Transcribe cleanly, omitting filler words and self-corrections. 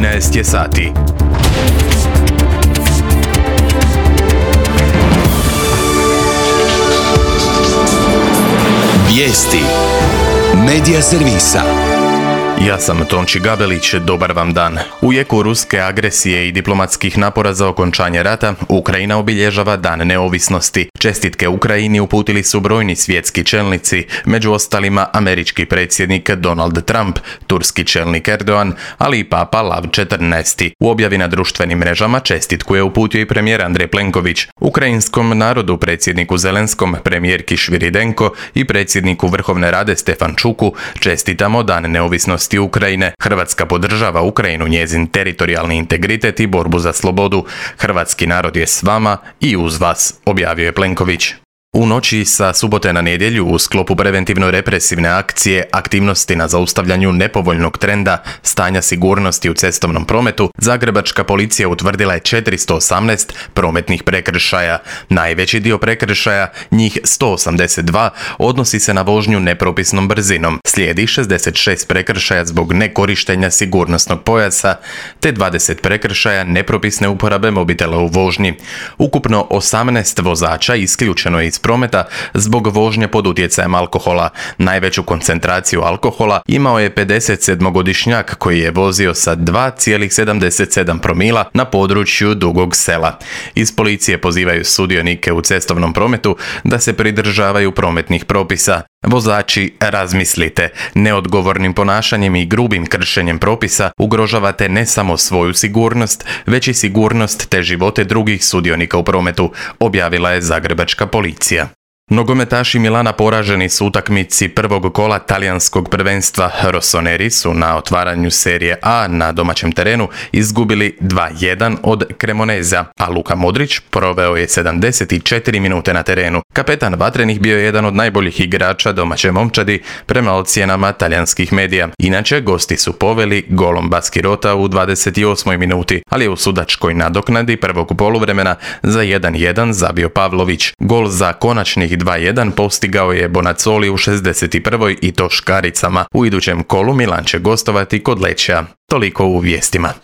13 je sati. Vijesti Medija servisa. Ja sam Tonči Gabelić, dobar vam dan. U jeku ruske agresije i diplomatskih napora za okončanje rata, Ukrajina obilježava Dan neovisnosti. Čestitke Ukrajini uputili su brojni svjetski čelnici, među ostalima američki predsjednik Donald Trump, turski čelnik Erdogan, ali i papa Lav XIV. U objavi na društvenim mrežama čestitku je uputio i premijer Andrej Plenković. Ukrajinskom narodu, predsjedniku Zelenskom, premijerki Šviridenko i predsjedniku Vrhovne Rade Stefančuku čestitamo Dan neovisnosti Ukrajine. Hrvatska podržava Ukrajinu, njezin teritorijalni integritet i borbu za slobodu. Hrvatski narod je s vama i uz vas, objavio je Plenković. U noći sa subote na nedjelju u sklopu preventivno-represivne akcije aktivnosti na zaustavljanju nepovoljnog trenda stanja sigurnosti u cestovnom prometu, zagrebačka policija utvrdila je 418 prometnih prekršaja. Najveći dio prekršaja, njih 182, odnosi se na vožnju nepropisnom brzinom. Slijedi 66 prekršaja zbog nekorištenja sigurnosnog pojasa, te 20 prekršaja nepropisne uporabe mobitela u vožnji. Ukupno 18 vozača isključeno je iz prometa zbog vožnje pod utjecajem alkohola. Najveću koncentraciju alkohola imao je 57-godišnjak koji je vozio sa 2,77 promila na području Dugog Sela. Iz policije pozivaju sudionike u cestovnom prometu da se pridržavaju prometnih propisa. Vozači, razmislite, neodgovornim ponašanjem i grubim kršenjem propisa ugrožavate ne samo svoju sigurnost, već i sigurnost te živote drugih sudionika u prometu, objavila je zagrebačka policija. Nogometaši Milana poraženi su utakmici prvog kola talijanskog prvenstva. Rossoneri su na otvaranju serije A na domaćem terenu izgubili 2-1 od Cremoneza, a Luka Modrić proveo je 74 minute na terenu. Kapetan vatrenih bio je jedan od najboljih igrača domaće momčadi prema ocjenama talijanskih medija. Inače, gosti su poveli golom Baskirota u 28. minuti, ali je u sudačkoj nadoknadi prvog poluvremena za 1-1 zabio Pavlović. Gol za konačnih 2-1 postigao je Bonazzoli u 61. i to škaricama. U idućem kolu Milan će gostovati kod Lečija. Toliko u vijestima.